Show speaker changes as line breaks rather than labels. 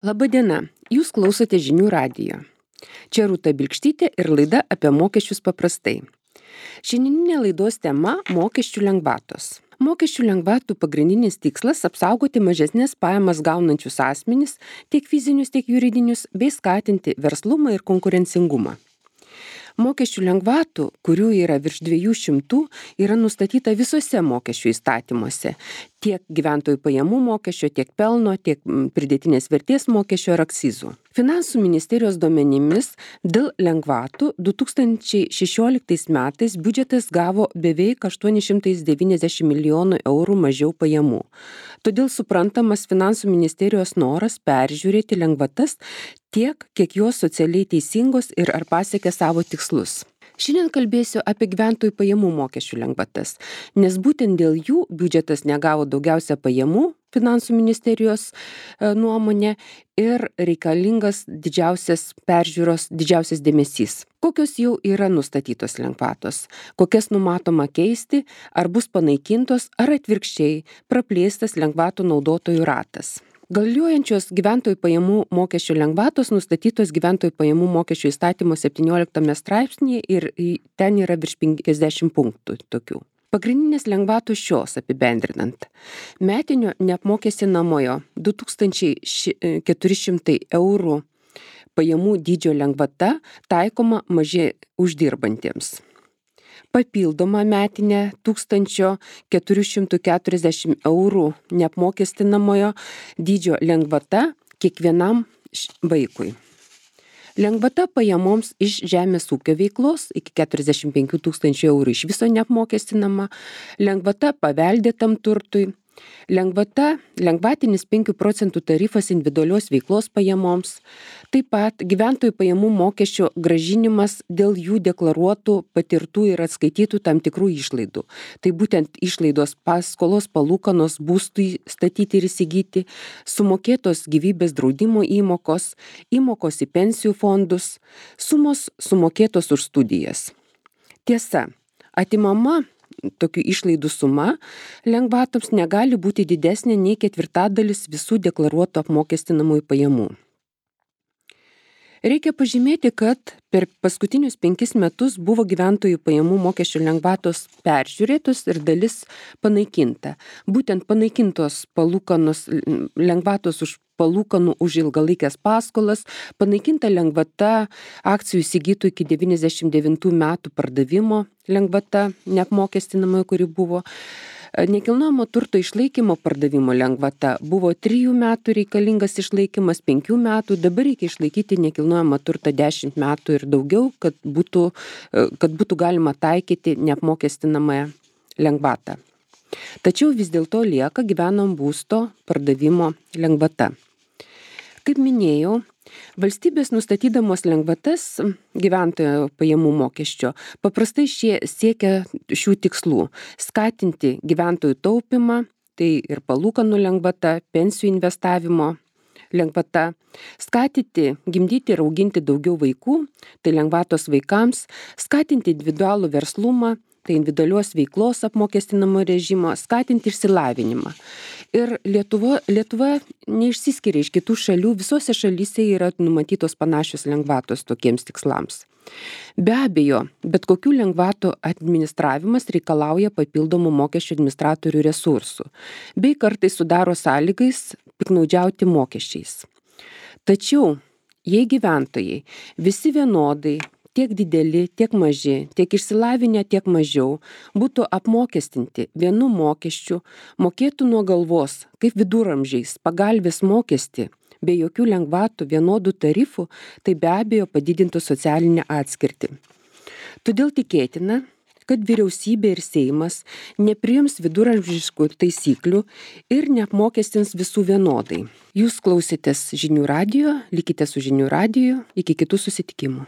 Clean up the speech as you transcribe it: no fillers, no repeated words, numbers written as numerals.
Labadiena, jūs klausote žinių radijo. Čia Rūta Bilkštytė ir laida apie mokesčius paprastai. Šiandieninė laidos tema – mokesčių lengvatos. Mokesčių lengvatų pagrindinis tikslas – apsaugoti mažesnės pajamas gaunančius asmenis, tiek fizinius, tiek juridinius, bei skatinti verslumą ir konkurencingumą. Mokesčių lengvatų, kurių yra virš 200, yra nustatyta visose mokesčių įstatymuose, tiek gyventojų pajamų mokesčio, tiek pelno, tiek pridėtinės vertės mokesčio ar akcizų. Finansų ministerijos duomenimis dėl lengvatų 2016 metais biudžetas gavo beveik 890 milijonų eurų mažiau pajamų. Todėl suprantamas finansų ministerijos noras peržiūrėti lengvatas tiek, kiek jos socialiai teisingos ir ar pasiekia savo tikslus. Šiandien kalbėsiu apie gyventojų pajamų mokesčių lengvatas, nes būtent dėl jų biudžetas negavo daugiausia pajamų finansų ministerijos nuomonė ir reikalingas didžiausias peržiūros, didžiausias dėmesys. Kokios jau yra nustatytos lengvatos, kokias numatoma keisti, ar bus panaikintos, ar atvirkščiai praplėstas lengvatų naudotojų ratas. Galiojančios gyventojų pajamų mokesčių lengvatos nustatytos gyventojų pajamų mokesčių įstatymo 17 straipsnėje ir ten yra virš 50 punktų tokių. Pagrindinės lengvatos šios apibendrinant. Metinio neapmokestinamojo 2400 eurų pajamų dydžio lengvata taikoma mažiai uždirbantiems. Papildoma metinė 1440 eurų neapmokestinamojo dydžio lengvata kiekvienam vaikui. Lengvata pajamoms iš žemės ūkio veiklos iki 45 000 eurų iš viso neapmokestinama, lengvata paveldėtam turtui, lengvatinis 5 procentų tarifas individualios veiklos pajamoms, taip pat gyventojų pajamų mokesčio grąžinimas dėl jų deklaruotų, patirtų ir atskaitytų tam tikrų išlaidų. Tai būtent išlaidos paskolos palūkanos būstui statyti ir įsigyti, sumokėtos gyvybės draudimo įmokos, įmokos į pensijų fondus, sumos sumokėtos už studijas. Tiesa, atimama tokių išlaidų suma lengvatoms negali būti didesnė nei 1/4 visų deklaruotų apmokestinamųjų pajamų. Reikia pažymėti, kad per paskutinius 5 metus buvo gyventojų pajamų mokesčio lengvatos peržiūrėtos ir dalis panaikinta. Būtent panaikintos lengvatos už palūkanų už ilgalaikės paskolas, panaikinta lengvata akcijų įsigytų iki 99 metų pardavimo lengvata neapmokestinama, kuri buvo. Nekilnojamo turto išlaikymo pardavimo lengvata buvo 3 metų reikalingas išlaikymas, 5 metų, dabar reikia išlaikyti nekilnojamą turtą 10 metų ir daugiau, kad būtų galima taikyti neapmokestinamąją lengvatą. Tačiau vis dėlto lieka gyvenamo būsto pardavimo lengvata. Kaip minėjau, valstybės nustatydamos lengvatas gyventojų pajamų mokesčio paprastai siekia šių tikslų – skatinti gyventojų taupymą, tai ir palūkanų lengvata, pensijų investavimo lengvata, skatinti gimdyti ir auginti daugiau vaikų, tai lengvatos vaikams, skatinti individualų verslumą, tai individualios veiklos apmokestinamo režimo, skatinti išsilavinimą. Ir Lietuva neišsiskiria iš kitų šalių, visose šalyse yra numatytos panašios lengvatos tokiems tikslams. Be abejo, bet kokių lengvatų administravimas reikalauja papildomų mokesčių administratorių resursų, bei kartais sudaro sąlygas piktnaudžiauti mokesčiais. Tačiau, jei gyventojai visi vienodai, tiek dideli, tiek maži, tiek išsilavinę, tiek mažiau, būtų apmokestinti vienu mokesčiu, mokėtų nuo galvos, kaip viduramžiais, pagalvės mokestį, be jokių lengvatų, vienodų tarifų, tai be abejo padidintų socialinę atskirtį. Todėl tikėtina, kad vyriausybė ir Seimas nepriims viduramžiškų taisyklių ir neapmokestins visų vienodai. Jūs klausėtės žinių radijo, likite su žinių radiju, iki kitų susitikimų.